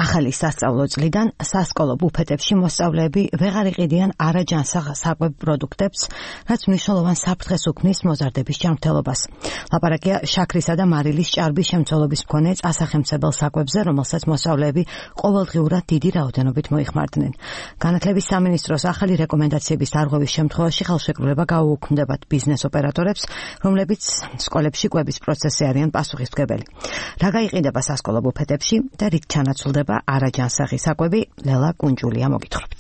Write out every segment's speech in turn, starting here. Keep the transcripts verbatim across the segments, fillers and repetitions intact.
ახალი სასწავლო წლიდან სასკოლო ბუფეტებში მოსწავლეები ვეღარ იყიდიან არაჯანსაღ საკვებ პროდუქტებს, რაც მნიშვნელოვან საფრთხეს უქმნის მოზარდების ჯანმრთელობას. ლაპარაკია შაქრისა და მარილის ჭარბის შემცველობის მქონე წასახემცებელ საკვებზე, რომელსაც მოსწავლეები ყოველდღიურად დიდი რაოდენობით მოიხმარდნენ. განათლების სამინისტროს ახალი რეკომენდაციების დარღვევის შემთხვევაში ხელშეკრულება გაუუქმდებათ ბიზნეს ოპერატორებს, რომლებიც სკოლებში კვების პროცესზე არიან პასუხისმგებელი. რა გაიყიდება სასკოლო ბუფეტებში და რით ჩანაცვლდება არაჯანსაღი საკვები, ლელა კუნჯულია მოგითხრობთ.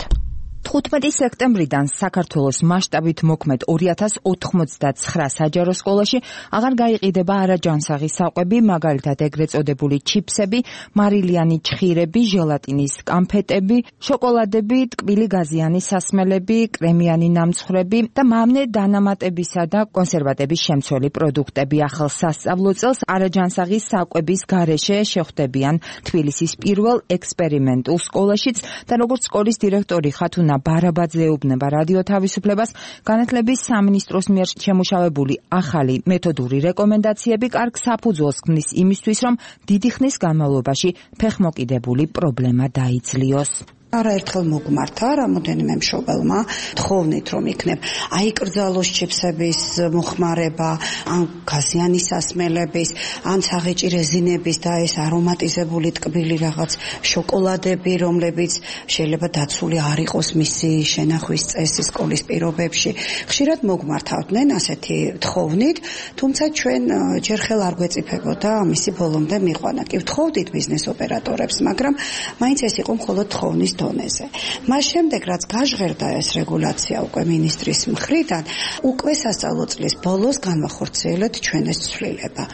თხუთმეტი სექტემბრიდან საქართველოს მასშტაბით მოქმედ ორი ათას ოთხმოცდაცხრა საჯარო სკოლაში აღარ გაიყიდება არაჯანსაღი საკვები, მაგალითად ეგრეთ წოდებული ჩიფსები, მარილიანი ჩხირები, ჟელატინის კამფეტები, შოკოლადები, ტკბილი გაზიანი სასმელები, კრემიანი ნამცხრები და მავნე დანამატებისა და კონსერვატების შემცველი პროდუქტები. ახალ სასწავლო წელს არაჯანსაღი საკვების გარეშე შეხვდებიან თბილისის პირველ ექსპერიმენტულ სკოლაშიც და როგორც სკოლის დირექტორი ხათუნა ბარაბაძე ეუბნება რადიო თავისუფლებას, განათლების სამინისტროს მიერ შემუშავებული ახალი მეთოდური რეკომენდაციები კარგ საფუძველს ქმნის იმისთვის, რომ დიდი ხნის განმავლობაში ფეხმოკიდებული პრობლემა დაიძლიოს. არაერთხელ მოგმართა რამოდენიმე მშობელმა თხოვნით, რომ იქნებ აი კრძალოს ჩიფსების მოხმარება, ან გაზიანი სასმელების, ან საღეჭი რეზინების და ეს არომატიზებული ტკბილი რაღაც შოკოლადები, რომლებიც შეიძლება დაცული არ იყოს მისი შენახვის წესი სკოლის პირობებში. ხშირად მოგმართავდნენ ასეთი თხოვნით, თუმცა ჩვენ ჯერ ხელ არ გვეწიფებოდა ამისი ბოლომდე მიყვანა. კი ვთხოვდით ბიზნეს ოპერატორებს, მაგრამ მაინც ეს იყო მხოლოდ თხოვნის დონეზე. მას შემდეგ, რაც გაჟღერდა ეს რეგულაცია უკვე მინისტრის მხრიდან, უკვე სასწავლო წლის ბოლოს განვახორციელეთ ჩვენ ეს ცვლილება.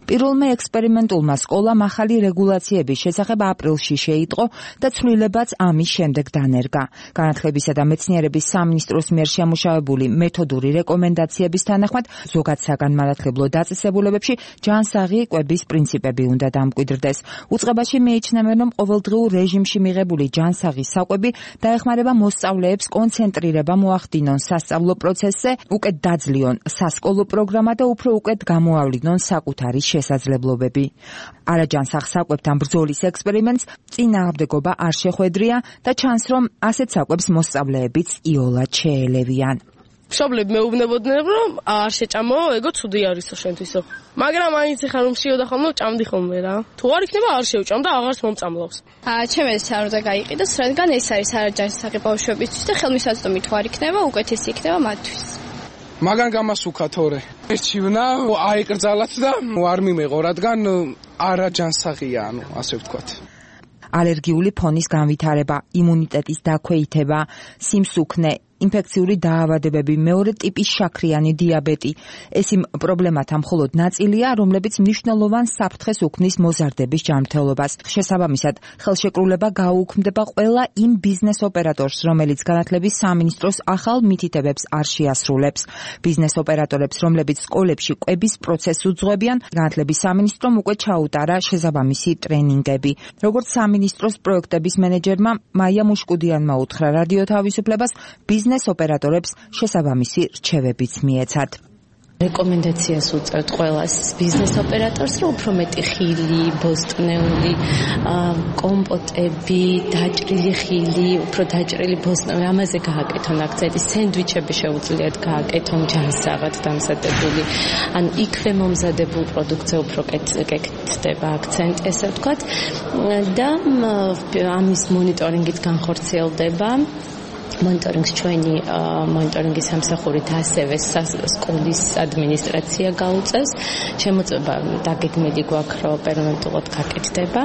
პირველმა ექსპერიმენტულმა სკოლამ ახალი რეგულაციების შესახებ აპრილში შეიტყო და ცვლილებაც ამის შემდეგ დანერგა. განათლებისა და მეცნიერების სამინისტროს მიერ შემუშავებული მეთოდური რეკომენდაციების თანახმად, ზოგად საგანმანათლებლო დაწესებულებებში ჯანსაღი კვების პრინციპები უნდა დამკვიდრდეს. უწყებაში მიიჩნევენ, რომ ყოველდღიურ რეჟიმში მიღებული ჯანსაღი საკვები დაეხმარება მოსწავლეებს კონცენტრირება მოახდინონ სასწავლო პროცესზე, უკეთ დაძლიონ სასკოლო პროგრამა და უფრო უკეთ გამოავლინონ საკუთარი შესაძლებლობები. არაჯანსაღ საკვებთან ბრძოლის ექსპერიმენტს წინააღმდეგობა არ შეხვედრია და ჩანს, რომ ასეთ საკვებს მოსწავლეებიც იოლად შეელევიან. მშობლები მეუბნებოდნენ, რომ არ შეჭამო, ეგო ცუდი არისო შენთვისო. მაგრამ მაინც ხარ რომ შიოდა ხოლმე, ჭამდი ხოლმე რა. თუ არ იქნება, არ შევჭამ და აღარც მომწამლავს. აა, ჩემ ეს არ უნდა გაიყიდოს, რადგან ეს არის არაჯანსაღი ბავშვებისთვის და ხელმისაწვდომი თუ არ იქნება, უკეთესი იქნება მათთვის. მაგან გამასუქა თორე. ეს ჩივნა აიკრძალათ და არ მიმეღო, რადგან არაჯანსაღია, ანუ ასე ვთქვათ. ალერგიული ფონის განვითარება, იმუნიტეტის დაქვეითება, სიმსუქნე, ინფექციური დაავადებები, მეორე ტიპის შაქრიანი დიაბეტი. ეს იმ პრობლემათა მხოლოდ ნაწილია, რომლებიც მნიშვნელოვან საფრთხეს უქმნის მოზარდების ჯანმრთელობას. შესაბამისად, ხელშეკრულება გაუუქმდება ყველა იმ ბიზნეს ოპერატორს, რომელიც განათლების სამინისტროს ახალ მითითებებს არ შეასრულებს. ბიზნეს ოპერატორებს, რომლებიც სკოლებში კვების პროცესს უძღვებიან, განათლების სამინისტრომ უკვე ჩაუტარა შესაბამისი ტრენინგები. როგორც სამინისტროს პროექტების მენეჯერმა მაია მუშკუდიანმა უთხრა რადიო თავისუფლებას, ბიზნეს ოპერატორებს შესაბამისი რჩევებიც მიეცათ. რეკომენდაციას უწევთ ყველას ბიზნეს ოპერატორს, რომ უფრო მეტი ხილი, ბოსტნეული, კომპოტები, დაჭრილი ხილი, უფრო დაჭრილი ბოსტნეული, ამაზე გააკეთონ აქცენტი, სენდვიჩები შეუძლიათ გააკეთონ ჯანსაღად დამზადებული, ან იქვე მომზადებულ პროდუქტზე უფრო კეთდება აქცენტი, ესე ვთქვათ, და ამის მონიტორინგით განხორციელდება. მონიტორინგს ჩვენი მონიტორინგის სამსახურით ასევე სკოლის ადმინისტრაცია გაუწევს. შემოწმება დაგეგმილი გვაქვს, რომ პერმანენტულად გაკეთდება.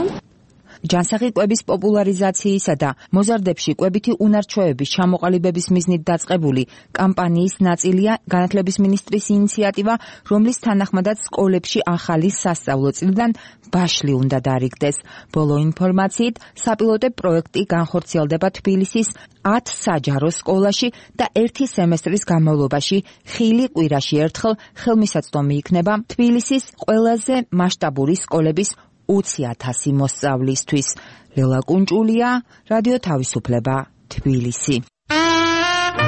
ჯანსაღი კვების პოპულარიზაციისა და მოზარდებში კვებითი უნარჩვევების ჩამოყალიბების მიზნით დაწყებული კამპანიის ნაწილია განათლების მინისტრის ინიციატივა, რომლის თანახმადაც სკოლებში ახალი სასწავლო წლიდან ბაშლი უნდა დარიგდეს. ბოლო ინფორმაციით, საპილოტე პროექტი განხორციელდება თბილისის ათ საჯარო სკოლაში და ერთი სემესტრის განმავლობაში ხილი კვირაში ერთხელ ხელმისაწვდომი იქნება თბილისის ყველაზე მასშტაბური სკოლების ოცი ათასი მოსწავლისთვის. ლელა კუნჭულია, რადიო თავისუფლება, თბილისი.